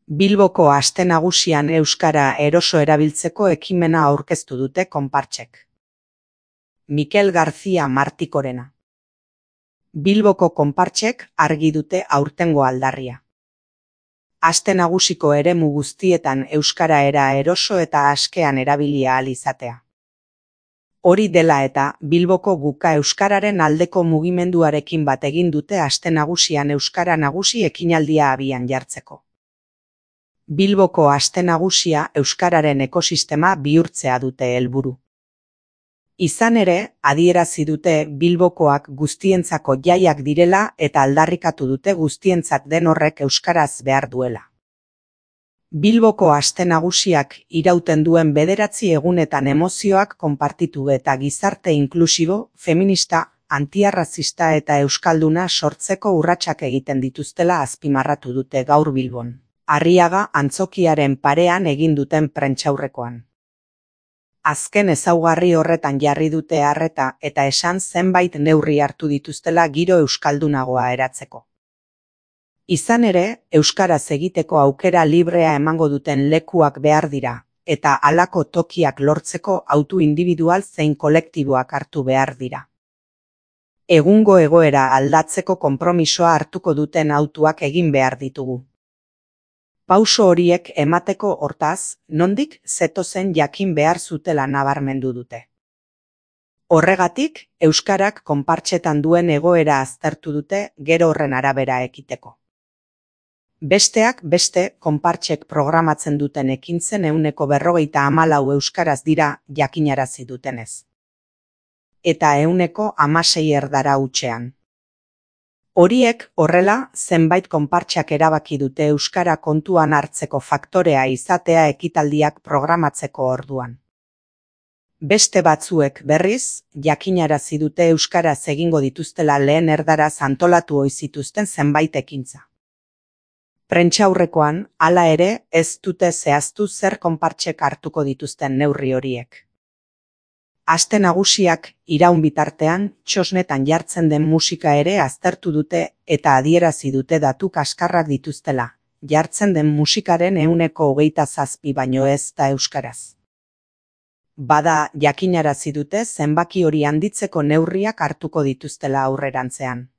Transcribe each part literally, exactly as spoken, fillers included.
Bilboko Aste Nagusian euskara eroso erabiltzeko ekimena aurkeztu dute konpartsek. Mikel García Martikorena. Bilboko konpartsek argi dute aurtengo aldarria. Aste Nagusiko eremu guztietan euskara era eroso eta askean erabili ahal izatea. Hori dela eta, Bilboko Guka Euskararen aldeko mugimenduarekin bat egin dute Aste Nagusian euskara nagusi ekinaldia abian jartzeko. Bilboko Aste Nagusia euskararen ekosistema bihurtzea dute helburu. Izan ere, adierazi dute Bilbokoak guztientzako jaiak direla eta aldarrikatu dute guztientzat den horrek euskaraz behar duela. Bilboko Aste Nagusiak irauten duen bederatzi egunetan emozioak konpartitu eta gizarte inklusibo, feminista, antiarrazista eta euskalduna sortzeko urratsak egiten dituztela azpimarratu dute gaur Bilbon. Arriaga antzokiaren parean egin duten prentsaurrekoan. Azken ezaugarri horretan jarri dute arreta eta esan zenbait neurri hartu dituztela giro euskaldunagoa eratzeko. Izan ere, euskaraz egiteko aukera librea emango duten lekuak behar dira, eta halako tokiak lortzeko autu individual zein kolektiboak hartu behar dira. Egungo egoera aldatzeko konpromisoa hartuko duten autuak egin behar ditugu. Pauso horiek emateko hortaz, nondik zetozen jakin behar zutela nabarmendu dute. Horregatik, euskarak konpartsetan duen egoera aztertu dute gero horren arabera ekiteko. Besteak beste, konpartsek programatzen duten ekintzen ehuneko berrogeita hamalau euskaraz dira jakinarazi dutenez. Eta ehuneko hamasei erdara hutsean. Horiek horrela, zenbait konpartsak erabaki dute euskara kontuan hartzeko faktorea izatea ekitaldiak programatzeko orduan. Beste batzuek berriz, jakinarazi dute euskaraz egingo dituztela lehen erdaraz antolatu ohi zituzten zenbait ekintza. Prentsaurrekoan, hala ere, ez dute zehaztu zer konpartsek hartuko dituzten neurri horiek. Aste Nagusiak iraun bitartean, txosnetan jartzen den musika ere aztertu dute eta adierazi dute datu kaskarrak dituztela, jartzen den musikaren ehuneko hogeita zazpi baino ez da euskaraz. Bada, jakinarazi dute zenbaki hori handitzeko neurriak hartuko dituztela aurrerantzean.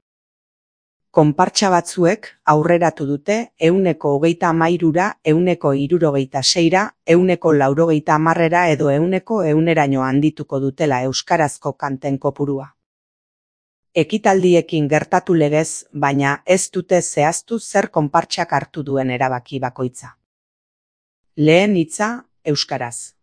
Konpartsa batzuek aurreratu dute ehuneko hogeita hamairura, ehuneko hirurogeita seira, ehuneko laurogeita hamarrera edo ehuneko ehuneraino handituko dutela euskarazko kanten kopurua. Ekitaldiekin gertatu legez, baina ez dute zehaztu zer konpartsak hartu duen erabaki bakoitza. Lehen hitza, euskaraz.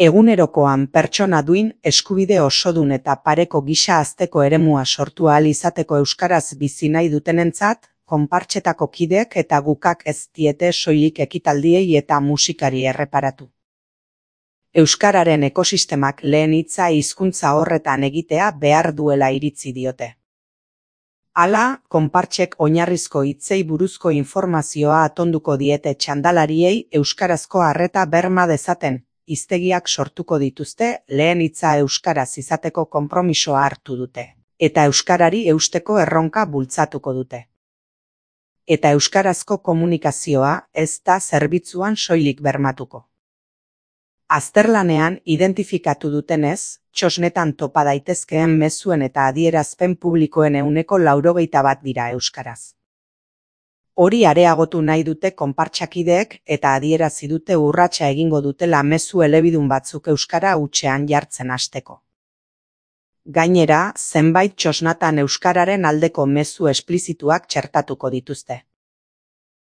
Egunerokoan pertsona duin, eskubide osodun eta pareko gisa hazteko eremua sortu ahal izateko euskaraz bizi nahi dutenentzat, konpartsetako kideek eta gukak ez diete soilik ekitaldiei eta musikari erreparatu. Euskararen ekosistemak lehen hitza hizkuntza horretan egitea behar duela iritzi diote. Hala, konpartsek oinarrizko hitzei buruzko informazioa atonduko diete txandalariei euskarazko arreta berma dezaten, hiztegiak sortuko dituzte lehen hitza euskaraz izateko konpromisoa hartu dute, eta euskarari eusteko erronka bultzatuko dute. Eta euskarazko komunikazioa ez da zerbitzuan soilik bermatuko. Azterlanean identifikatu dutenez, txosnetan topa daitezkeen mezuen eta adierazpen publikoen ehuneko laurogeita bat dira euskaraz. Hori areagotu nahi dute konpartsakideek eta adierazi dute urratsa egingo dutela mezu elebidun batzuk euskara hutsean jartzen hasteko. Gainera, zenbait txosnatan euskararen aldeko mezu esplizituak txertatuko dituzte.